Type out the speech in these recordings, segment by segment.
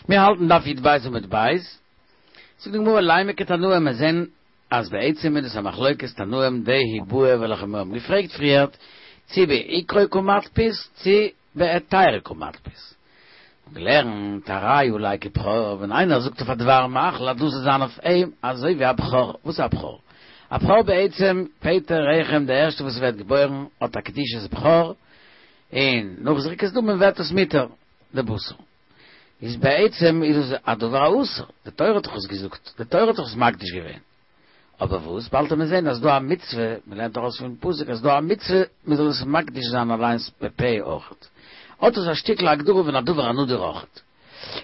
מיר האלטן דף י"ב עמוד ב', זאגט די גמרא לימא כתנאי מיר זעהן אז בעצם איז דאס א מחלוקת תנאים דהאי בעיא וועלכע מיר האבן געפרעגט פריערט צי בעיקרו קא מתפיס צי בהיתירא קא מתפיס. און געלערנט הרי עלי כבכור ווען איינער זאגט אויף א דבר מאכל אז דאס זאל זיין אויף אים אזוי ווי א בכור, וואס איז א בכור? א בכור בעצם פטר רחם די ערשטע וואס ווערט געבוירן האט א קדושת בכור און נאך זריקת דמים ווערט עס מותר די בשר. איז בעצם איז עס א דבר האסור, די תורה האט דאך עס געזאגט, די תורה האט דאך עס מקדיש געווען, אבער וואס, באלד וועט מען זען אז דא א מצוה, מען לערנט ארויס פון פסוק אז דא א מצוה מען זאל עס מקדיש זיין אליינס בפה אויכעט, האט עס א שטיקל הגדרה פון א דבר הנדור אויכעט.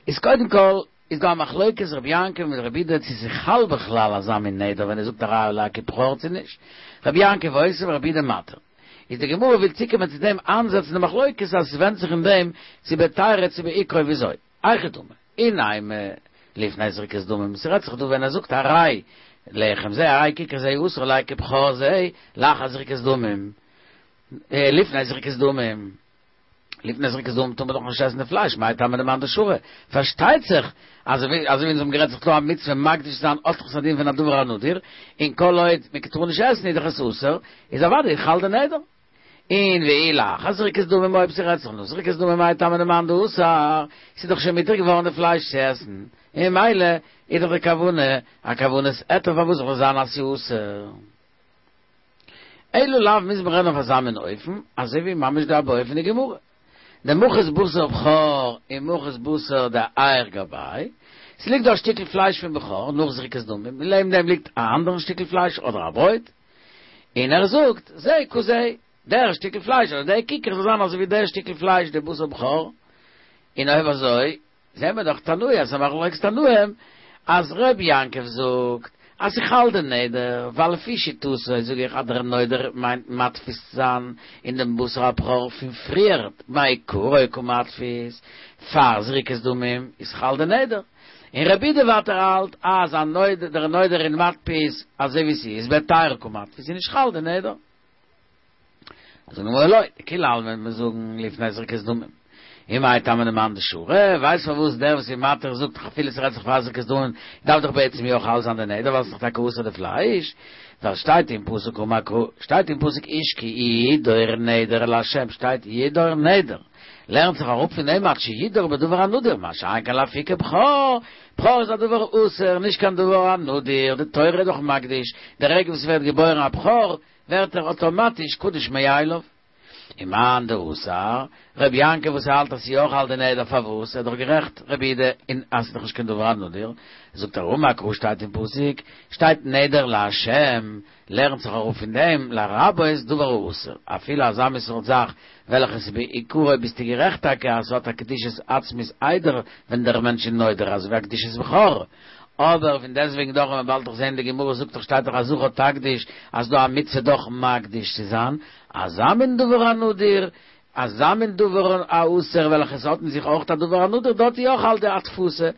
איז קודם כל איז דא א מחלוקת רבי יעקב מיט רבי יהודה צו ס'איז חל בכלל אזא מין נדר ווען ער זאגט הרי עלי כבכור צו נישט, רבי יעקב אוסר ורבי יהודה מתיר. איז די גמרא וויל צוקומען צו דעם איינזעצן די מחלוקת אז עס ווענדט זיך אין דעם צו בהיתירא צו בעיקרו וויאזוי. היכי דמי, אי נימא לפני זריקת דמים, ס'רעדט זיך דא ווען ער זאגט הרי לחם זה הרי ככר זה אסור עלי כבכור זה לאחר זריקת דמים, לפני זריקת דמים. לפני זריקת דמים טאר מען דאך נישט עסן די פלייש, מאי טעמא דמאן דשרי? פארשטייט זיך אז אזוי ווי אונז האבן גערעדט ס'איז דא א מצוה מקדיש זיין האט דאך עס א דין פון א דבר הנדור, און כל עוד מען טאר נישט עסן איז דאך עס אסור, איז אוודאי חל די נדר. און ואי לאחר זריקת דמים אויב ס'רעדט זיך נאך זריקת דמים מאי טעמא דמאן דאסר, ס'איז דאך שוין מותר געווארן די פלייש צו עסן, און ממילא איז דאך די כוונה א כוונת היתר פארוואס זאל עס זיין אז ס'איז אסור? אלא לאו מוז מען רעדן אויף אזא מין אופן, אזוי ווי ממש די בעיא פון די גמרא. דמחית בשר בכור ומחית בשר דאייער גביה, ס'ליגט דא א שטיקל פלייש פון בכור נאך זריקת דמים, און לעבן דעם ליגט א אנדערן שטיקל פלייש אדער א ברויט, און ער זאגט, זה כזה, דער שטיקל פלייש אדער דער כיכר זאל זיין אזוי ווי דער שטיקל פלייש די בשר בכור, און אויב אזוי זעהן מיר דאך תנאי אז ס'איז א מחלוקת תנאים אז ר' יעקב זאגט אז ס'חל די נדר ווייל לפי שיטתו זאג איך אז דער נודר מיינט מתפיס זיין אין דעם בשר הבכור פון פריערט מעיקרא קא מתפיס פאר זריקת דמים איז חל די נדר און רבי יהודה ווייטער האלט אז א נודר דער נודר איז מתפיס אזוי ווי ס'איז בהיתירא קא מתפיס איז נישט חל די נדר. זאגט די גמרא לא, דכולי עלמא וועט מען זאגן לפני זריקת דמים. ומאי טעמא דמאן דשרי, ווייסט פארוואס דער וואס איז מתיר זאגט אפילו ס'רעדט זיך פאר זריקת דמים דארף דאך בעצם יא חל זיין די נדר ווייל ס'איז דאך טאקע אסור די פלייש, ווייל שטייט אין פסוק אמר קרא, שטייט אין פסוק איש כי ידור נדר לה' שטייט ידור נדר, לערנט זיך אראפ פון דעם עד שידור בדבר הנדור, מה שאין כן לאפוקי בכור, בכור איז א דבר אסור נישט קיין דבר הנדור, די תורה איז דאך מקדיש, די רגע וואס ס'ווערט געבוירן א בכור ווערט ער אטאמאטיש קדוש מאליו. ומאן דאסר, ר' יעקב וואס האלט אז ס'יא חל די נדר פארוואס? ער איז דאך גערעכט רבי יהודה און אז ס'איז דאך נישט קיין דבר הנדור, זאגט ער אמר קרא שטייט אין פסוק שטייט נדר לה' לערנט זיך אראפ פון דעם לרבות דבר האסור אפילו אזא מין סארט זאך וועלכע ס'איז בעיקרו ביסטו גערעכט טאקע אז ס'האט א קדושת עצמית איידער ווען דער מענטש איז נודר אזוי ווי א קדושת בכור אבער פון דעסטוועגן דאך ווען מ'באלד דאך זעהן די גמרא זאגט דאך שטייט דאך א זכר תקדיש אז דא א מצוה דאך מקדיש צו זיין אזא מין דבר הנדור אזא מין דבר האסור וועלכע עס האט אין זיך אויך א דבר הנדור דארט איז יא חל די התפסה.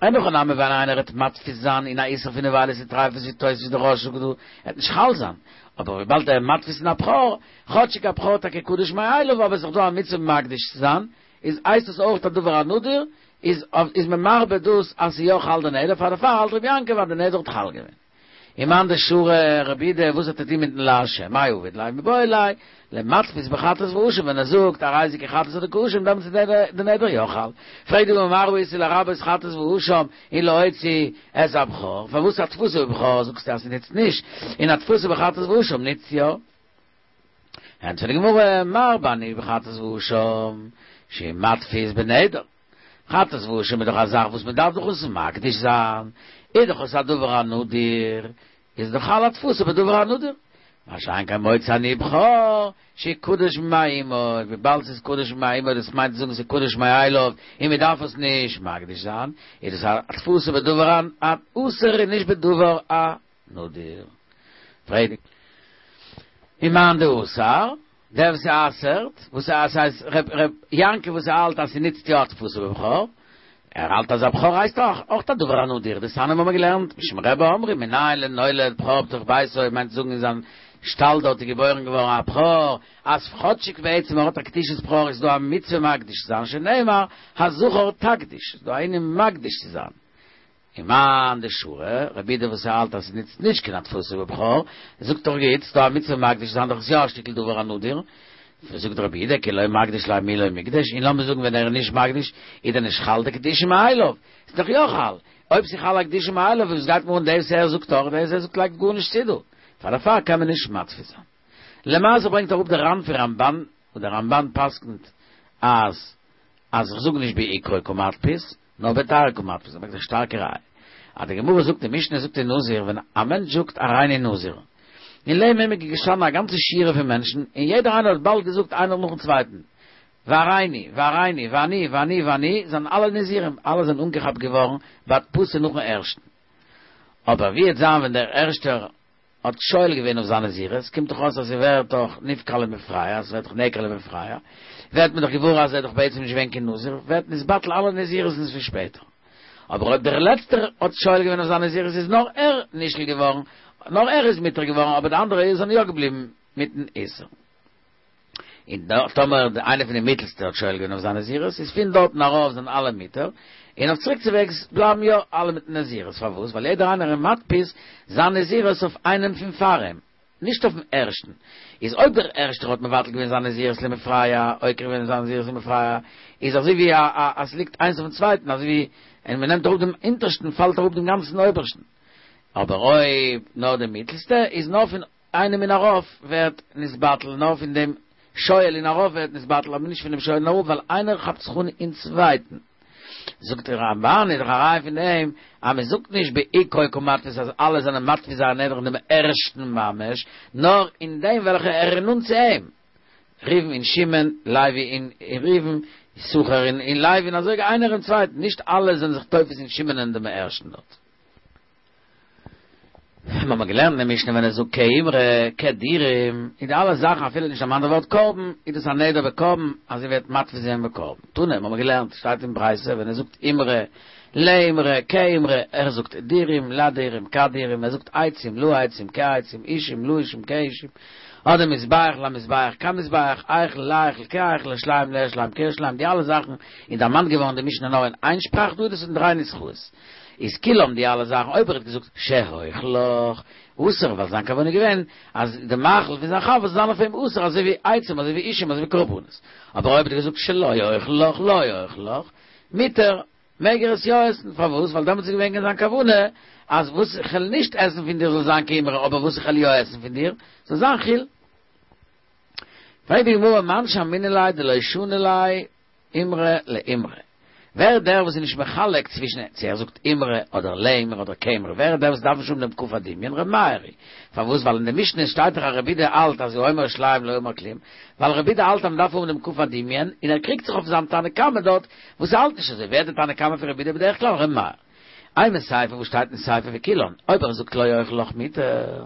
אין הכי נמי ווען איינער וועט מתפיס זיין אין א איסור פון נבילות וטריפות ווי תוספות די רא"ש זאגט דא עט נישט חל זיין אבער וויבאלד ער איז מתפיס אין א בכור כאטשיג א בכור טאקע קדוש מאליו אבער עס איז דאך דא א מצוה מקדיש צו זיין איז הייסט עס אויך א דבר הנדור איז איז מען מרבה דאס אז ס'איז יא חל די נדר פאר דערפאר האלט רבי יעקב אז די נדר האט חל געווען. ומאן דשרי רבי יהודה וואס האט ער טון מיטן לה' מאי עביד ליה מיבעי ליה למתפיס בחטאת ואשם ווען ער זאגט הרי זה כחטאת אדער כאשם דעמאלטס איז די נדר יא חל. פרעגט די גמרא מה ראית לרבות חטאת ואשם און להוציא את הבכור פארוואס התפסה בבכור זאגסטו אז ס'נוצט נישט און התפסה בחטאת ואשם נוצט יא? ענטפערט די גמרא, מרבה אני בחטאת ואשם, שהוא מתפיס בנדר. חטאת ואשם איז דאך א זאך וואס מען דארף דאך עס מקדיש זיין, איז דאך עס א דבר הנדור, איז דאך חל התפסה בדבר הנדור. מה שאין כן מוציא אני בכור, שהוא קדוש ממעי אמו, וויבאלד ס'איז קדוש ממעי אמו, דאס מיינט צו זאגן ס'איז קדוש מאליו, און מען דארף עס נישט מקדיש זיין, איז דאס א התפסה בדבר האסור און נישט בדבר הנדור. פרעגט ומאן דאסר, דער וואס אסר'ט, וואס ס'הייסט ר' יעקב וואס האלט אז ס'נוצט יא התפסה בבכור, ער האלט אז א בכור הייסט אויך אויך א דבר הנדור, דתניא האבן מיר געלערנט, משום רבי אמרו מנין לנולד בכור בתוך ביתו מיינט זאגן אין זיין. שטאל דארט איז געבוירן געווארן א בכור, אז כאטשיג בעצם ער האט א קדושת בכור איז דא א מצוה מקדיש צו זיין שנאמר הזכר תקדיש, איז דא א ענין מקדיש צו זיין. ומאן דשרי, רבי יהודה וואס ער האלט אז ס'נוצט נישט קיין הדפסה בבכור, זאגט דאך גוט, ס'דא א מצוה מקדיש צו זיין דאך איז יא א שטיקל דבר הנדיר, זאגט רבי יהודה כי לא מקדיש ליה מי לא מקדש, און לאמיר זאגן ווען ער איז נישט מקדיש איז דען נישט חל די קדושה מאליו, ס'איז דאך יא חל, אויב ס'איז חל א קדושה מאליו וואס גייט מיר אן דאס ער זאגט אדער דאס ער זאגט לייגט גארנישט צו דא, פאר דערפאר קען מען נישט מתפיס זיין. למעשה ברענגט אראפ דער ר"ן פון רמב"ן, וואס דער רמב"ן פסק'נט אז אז איך זאג נישט בעיקרו קא מתפיס, נאר בתריה קא מתפיס, ער ברענגט א שטארקע ראיה. אז די גמרא זאגט, די משנה זאגט אין נזיר, ווען א מענטש זאגט הריני נזיר, און לעבן אים איז געשטאנען א גאנצע שורה פון מענטשן, און יעדער איינער האט באלד געזאגט איינער נאכן צווייטן, והריני, והריני, ואני, ואני, ואני, זענען אלע נזירים, אלע זענען אנגעכאפט געווארן בהדפסה נאכן ערשטן. אבער ווי וועט זיין ווען דער ערשטער האט שואל געווען אויף זיין נזירות, קומט דאך אויס אז ס'ווערט דאך נפקע למפרע, אז ס'ווערט דאך נעקר למפרע, ווערט מען דאך געוואר אז ער איז דאך בעצם נישט געווען קיין נזיר, ווערט נתבטל אלע נזירות'ן פון שפעטער. אבער אויב דער לעצטער האט שואל געווען אויף זיין נזירות איז נאר ער נשאל געווארן, נאר ער איז מותר געווארן, אבער די אנדערע זענען יא געבליבן מיטן איסור. און טאמער איינער פון די מיטלסטע האט שואל געווען אויף זיין נזירות, איז פון דארטן ארויף זענען אלע מותר, און אויף צוריקצווועגס בלייבן יא אלע מיטן נזירות, פארוואס? ווייל יעדער איינער איז מדפיס זיין נזירות אויף איינעם פון פאר אים, נישט אויפן ערשטן. איז אויב דער ערשטער האט מבטל געווען זיין נזירות למפרע, עוקר געווען זיין נזירות למפרע, איז אזוי ווי א א אז ס'ליגט איינס אויפן צווייטן, אזוי ווי ווען מ'נעמט אראפ דעם אונטערשטן פאלט אראפ דעם גאנצן אויבערשטן. אבער אויב נאר דער מיטלסטע, איז נאר פון איינעם און ארויף ווערט נתבטל, נאר פון דעם שואל און ארויף ווערט נתבטל, אבער נישט פון דעם שואל און אראפ, ווייל איינער כאפט זיך אן אין צווייטן. זאגט דער רמב"ן, איז דאך א ראיה פון דעם אז מען זאגט נישט בעיקרו קא מתפיס אז אלע זענען מתפיס זייער נדר אין דעם ערשטן ממש, נאר אין דעם וועלכער ער איז נאנט צו אים, ראובן אין שמעון, לוי אין ראובן, יששכר אין לוי, און אזוי איינער אין צווייטן, נישט אלע זענען זיך תופס אין שמעון אין דעם ערשטן דארט. מיר האבן געלערנט אין די משנה ווען ער זאגט כאימרא, כדירים, און די אלע זאכן אפילו נישט דערמאנט די ווארט קרבן, איז דאס א נדר בקרבן אז ער וועט מתפיס זיין בקרבן. תנא, מיר האבן געלערנט, שטייט אין ברייתא ווען ער זאגט אימרא, לאימרא, כאימרא, ער זאגט דירים, לדירים, כדירים, ער זאגט עצים, לעצים, כעצים, אישים, לאישים, כאישים, אדער מזבח, למזבח, כמזבח, היכל, להיכל, כהיכל, ירושלים, לירושלים, כירושלים, די אלע זאכן איז דערמאנט געווארן אין די משנה נאר אין איין שפראך, דא איז דאס אין דריי נוסחאות. איז כולם די אלע זאכן אויב ער האט געזאגט שאוכלך אסור ווייל זיין כוונה איז געווען אז די מאכל פון זיין חבר זאל זיין אויף אים אסור אזוי ווי עצים אזוי ווי אישים אזוי ווי קרבנות אבער אויב ער האט געזאגט שלא אוכלך לא אוכלך מותר מעג ער עס יא עסן פארוואס ווייל דעמאלטס איז געווען זיין כוונה אז וואס איך וועל נישט עסן פון דיר זאל זיין כאימרא אבער וואס איך וועל יא עסן פון דיר זאל זיין חולין. פרעגט די גמרא מאן שמעינן ליה דלא שני ליה אימרא לאימרא. ווער איז דער וואס איז נישט מחלק צווישן צו ער זאגט אימרא אדער לאימרא אדער כאימרא, ווער איז דער וואס דארף נישט האבן דעם כף הדמיון? ר' מאיר היא. פארוואס? ווייל אין די משנה שטייט דאך אז רבי יהודה האלט אז האומר ירושלים לא אמר כלום, ווייל רבי יהודה האלט אז מ'דארף האבן דעם כף הדמיון, און ער קריגט זיך אויף זיין תנא קמא דארט וואס האלט נישט אזוי, ווער איז די תנא קמא פון רבי יהודה בדרך כלל? ר' מאיר. אימא סיפא וואס שטייט אין סיפא וכולן, אויב ער זאגט לא אוכל לך מותר.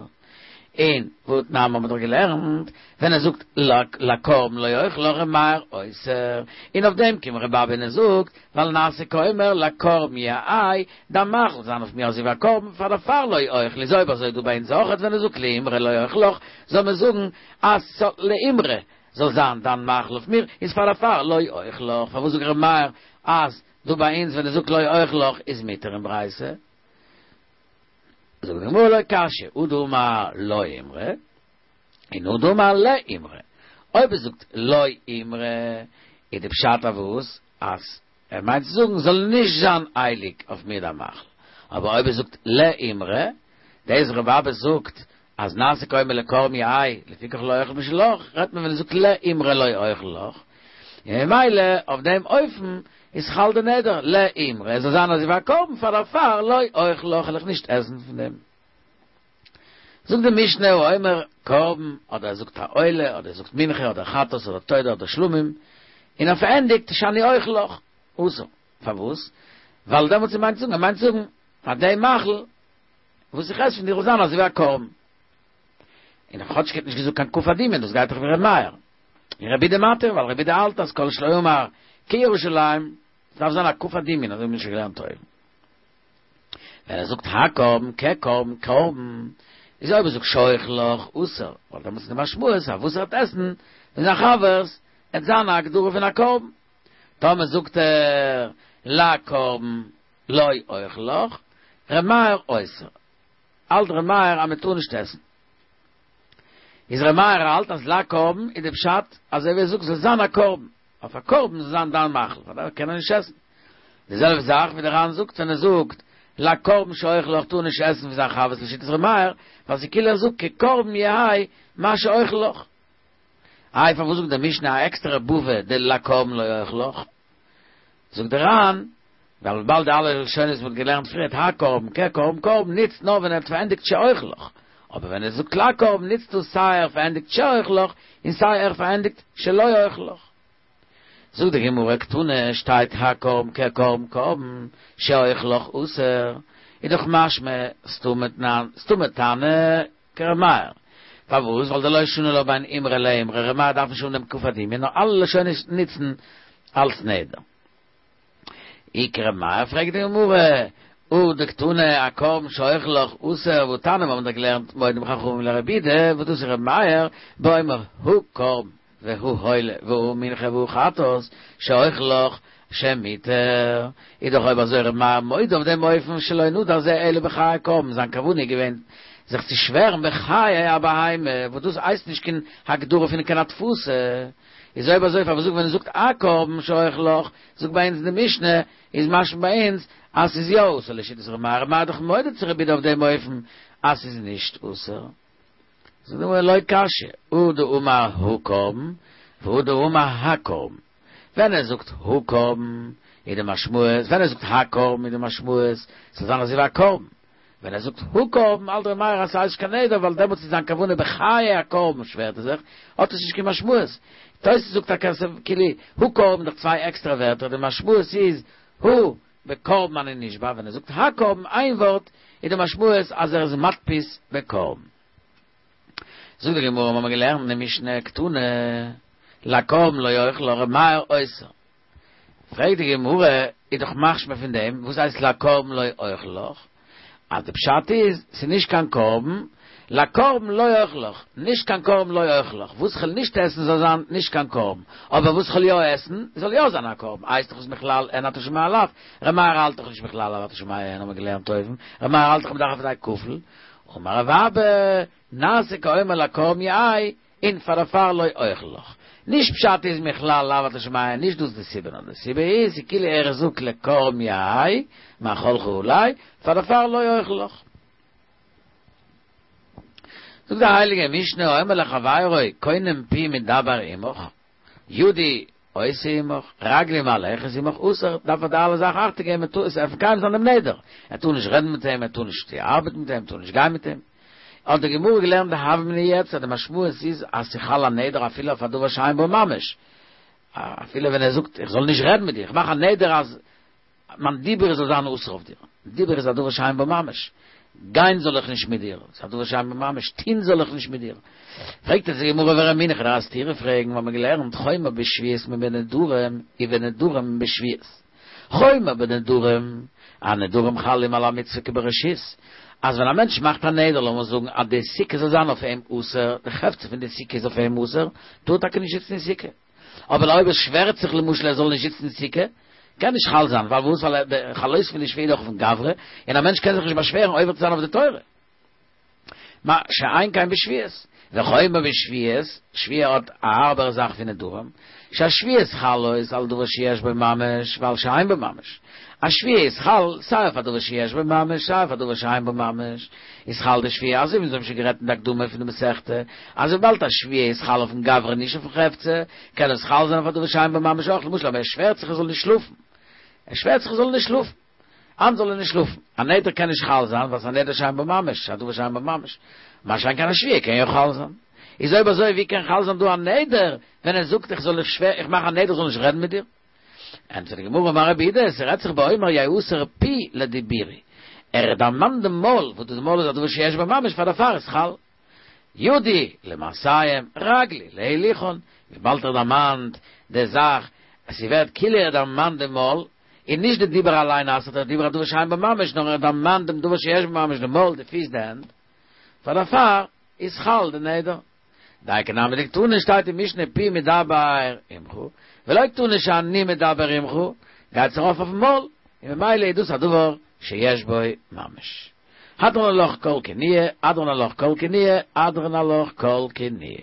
און והתנן האבן מיר דאך געלערנט, ווען ער זאגט לקרבן לא אוכל לך ר' מאיר אוסר, און אויף דעם קומט ר' אבא און ער זאגט, ווייל נעשה כאומר לקרבן יהא, דיין מאכל זיין אויף מיר אזוי ווי א קרבן, פאר דערפאר לא אוכל, איז אויב אזוי דא ביי אונז אויכעט ווען ער זאגט לאימרא לא אוכל לך, זאל מען זאגן אז לאימרא זאל זיין דיין מאכל אויף מיר, איז פאר דערפאר לא אוכל לך, פארוואס זאגט ר' מאיר אז דא ביי אונז ווען ער זאגט לא אוכל לך איז מותר אין ברייתא? זאגט די גמרא לא קשיא, הא דאמר לאימרא, און הא דאמר לאימרא. אויב ער זאגט לאימרא, איז די פשט אויף וואס? אז ער מיינט צו זאגן זאל נישט זיין הייליג אויף מיר דיין מאכל. אבער אויב ער זאגט לאימרא, דאס ר' אבא זאגט אז נעשה כאומר לקרבן יהא, לפיכך לא אוכל משלך, רעדט מען ווען ער זאגט לאימרא לא אוכל לך, און ממילא אויף דעם אופן איז חל די נדר, לאימרא, עס זאל זיין אזוי ווי א קרבן פאר דערפאר לא אוכל לך וועל איך נישט עסן פון דעם. זאגט די משנה האומר קרבן, אדער ער זאגט א עולה, אדער ער זאגט מנחה, אדער חטאת, אדער תודה, אדער שלמים, און ער פארענדיגט שאני אוכל לך, אסור. פארוואס? ווייל דעמאלטס ער מיינט צו זאגן, ער מיינט צו זאגן, פאר דעם מאכל וואס איך עס פון דיר זאל זיין אזוי ווי א קרבן. און כאטש ער האט נישט געזאגט קיין כף הדמיון, דאס גייט דאך ווי ר' מאיר. און רבי יהודה מתיר, ווייל רבי יהודה האלט אז כל שלא אמר כירושלים, עס דארף זיין א כף הדמיון, אזוי האבן מיר שוין געלערנט אויבן. ווען ער זאגט הקרבן, כקרבן, קרבן, איז אויב ער זאגט שאוכל לך אסור, ווייל דעמאלטס איז די משמעות אז וואס ער וועט עסן פון זיין חבר'ס עט זיין א הגדרה פון א קרבן. טאמער זאגט ער לקרבן לא אוכל לך, ר' מאיר אוסר. האלט ר' מאיר אז מען טאר נישט עסן. איז ר' מאיר האלט אז לקרבן איז די פשט אזוי ווי ער זאגט זאל זיין א קרבן, אויף א קרבן זאל זיין דיין מאכל, פאר דעם קען ער נישט עסן. די זעלבע זאך ווי די ר"ן זאגט ווען ער זאגט לקרבן שאוכל לך טאר נישט עסן פון זיין חבר'ס לשיטת ר' מאיר, ווייל ס'איז כאילו ער זאגט כקרבן יהא מה שאוכל לך. איי פארוואס זאגט די משנה א עקסטערע בבא דלקרבן לא אוכל לך? זאגט די ר"ן, ווייל וויבאלד די אלע לשונות וואס מ'האט געלערנט פריערט הקרבן כקרבן קרבן ניצט נאר ווען ער האט פארענדיגט שאוכל לך, אבער ווען ער זאגט לקרבן ניצט דאס סיי ער פארענדיגט שאוכל לך און סיי ער פארענדיגט שלא אוכל לך. זאגט די גמרא קתני שטייט הקרבן כקרבן קרבן שאוכל לך אסור, איז דאך משמע סתמא תנא כר' מאיר. פארוואס? ווייל דלא שני לה בין אימרא לאימרא, ר' מאיר דארף נישט האבן דעם כף הדמיון, נאר אלע לשונות ניצן אלס נדר. אי כר' מאיר פרעגט די גמרא, הא דקתני הקרבן שאוכל לך אסור והתניא מיר האבן דאך געלערנט מודים חכמים לרבי יהודה וואס דאס איז ר' מאיר באומר הא קרבן והא עולה והא מנחה והא חטאת שאוכל לך שמותר איז דאך אויב אזוי ר' מאיר מודה אויף דעם אופן שלא נדר זה אלא בחיי קרבן זיין כוונה איז געווען זיך צו שווערן בחיי הבהמה וואס דאס הייסט נישט קיין הגדרה פון קיין הדפסה איז אויב אזוי פארוואס זאגט ווען ער זאגט הקרבן שאוכל לך זאגט ביי אונז די משנה איז משמע ביי אונז אז ס'איז יא אסור לשיטת ר' מאיר, ר' מאיר איז דאך מודה צו רבי יהודה אויף דעם אופן אז ס'איז נישט אסור. זאגט די גמרא לא קשיא, הא דאמר הא קרבן והא דאמר הקרבן. ווען ער זאגט הא קרבן איז די משמעות, ווען ער זאגט הקרבן איז די משמעות ס'זאל זיין אזוי ווי א קרבן. ווען ער זאגט הא קרבן האלט ר' מאיר אז ס'הייסט נישט קיין נדר ווייל דעמאלטס איז זיין כוונה בחיי הקרבן שווערט ער זיך, האט עס נישט קיין משמעות. תוס' זאגט טאקע אז כאילו הא קרבן דאך צוויי עקסטערע ווערטער די משמעות איז הא בקרבן אני נשבע ווען ער זאגט הקרבן איין ווארט איז די משמעות אז ער איז מדפיס בקרבן. זאגט די גמרא האמער געלערנט אין די משנה קתני לקרבן לא אוכל לך ר' מאיר אוסר. פרעגט די גמרא, איז דאך משמע פון דעם, וואס הייסט לקרבן לא אוכל לך? אז די פשט איז, ס'איז נישט קיין קרבן, לקרבן לא אוכל לך, נישט קיין קרבן לא אוכל לך, וואס כ'וועל נישט עסן זאל זיין נישט קיין קרבן, אבער וואס כ'וועל יא עסן, זאל יא זיין א קרבן, הייסט דאך עס מכלל הן אתה שומע לאו, ר' מאיר האלט דאך נישט מכלל לאו אתה שומע הן, האמיר געלערנט אויבן, ר' מאיר האלט דאך מ'דארף א כפול, אמר רב אבא, נעשה כאומר לקרבן יהא, און פאר דערפאר לא אוכל לך. נישט פשט איז מכלל לאו אתה שומע הן, נישט דאס די סיבה, נאר די סיבה איז כאילו ער זאגט לקרבן יהא מאכלך עלי, פאר דערפאר לא אוכל לך. זאגט די הייליגע משנה האומר לחבירו קונם פי מדבר עמך, ידי עושה עמך, רגלי מהלכת עמך, אסור, דארף ער די אלע זאכן אכטונג געבן, מען טאר עס מקיים זיין דעם נדר, ער טאר נישט רעדן מיט אים, ער טאר נישט ארבעטן מיט אים, ער טאר נישט גיין מיט אים. האט די גמרא געלערנט די הוה אמינא יעצט אז די משמעות איז אז ס'חל א נדר אפילו אויף א דבר שאין בו ממש, אפילו ווען ער זאגט איך זאל נישט רעדן מיט דיר, איך מאך א נדר אז מיין דיבור זאל זיין אסור אויף דיר, דיבור איז א דבר שאין בו ממש, גיין זאל איך נישט מיט דיר, ס'איז א דבר שאין בו ממש, טוהן זאל איך נישט מיט דיר. פרעגט אונז די גמרא ורמינהו, כ'וועל דיר א סתירה פרעגן, מיר האבן געלערנט חומר בשבועות מבנדרים ובנדרים בשבועות. חומר בנדרים, אז נדרים חלים על המצוה כברשות, אז ווען א מענטש מאכט א נדר, לאמיר זאגן אז די סוכה זאל זיין אויף אים אסור, די חפצא פון די סוכה איז אויף אים אסור, טאר ער טאקע נישט זיצן אין סוכה. אבער אויב ער שווערט זיך למשל ער זאל נישט זיצן אין סוכה, קען נישט חל זיין, פארוואס? ווייל די חלות פון די שבועה איז דאך אויפן גברא, און א מענטש קען זיך נישט באשווערן עובר צו זיין אויף די תורה. מה שאין כן בשבועות, וחומר בשבועות, שבועה האט א הארבערע זאך פון נדרים, שהשבועות חלות על דבר שיש בו ממש ועל שאין בו ממש, א שבועה איז חל סיי אויף א דבר שיש בו ממש סיי אויף א דבר שאין בו ממש, איז חל די שבועה אזוי ווי אונז האבן שוין גערעדט אין די הקדמה פון די מסכתא, אז וויבאלד א שבועה איז חל אויפן גברא נישט אויפן חפצא, קען עס חל זיין אויף א דבר שאין בו ממש אויך, למשל אויב ער שווערט זיך ער זאל נישט שלאפן, ער שווערט זיך ער זאל נישט שלאפן. היינט זאל ער נישט שלאפן. א נדר קען נישט חל זיין ווייל ס'איז א נדר שאין בו ממש, א דבר שאין בו ממש. מה שאין כן א שבועה קען יא חל זיין. איז אויב אזוי ווי קען חל זיין דא א נדר ווען ער זאגט איך זאל איך שווער איך מאך א נדר זאל נישט רעדן מיט דיר? ענטפערט די גמרא אמר רב יהודה ס'רעדט זיך באומר יאסר פי לדיבורי. ער דערמאנט דעם מויל וואס דאס מויל איז א דבר שיש בו ממש פאר דערפאר איז חל. ידי למעשיהם רגלי להילוכן, וויבאלד ער דערמאנט די זאך אז ס'ווערט כאילו ער דערמאנט די מויל, און נישט די דיבור אליין אסר'ט דער דיבור א דבר שאין בו ממש, נאר ער דערמאנט דעם דבר שיש בו ממש, די מויל, די פיס, די הענט. פאר דערפאר איז חל די נדר. דאיכא נמי דקתני שטייט אין משנה פי מדבר עמך, ולא קתני שאני מדבר עמך, גייט עס ארויף אויפן מויל, און ממילא איז דאס א דבר שיש בו ממש. הדרן עלך כל כינויי, הדרן עלך כל כינויי, הדרן עלך כל כינויי.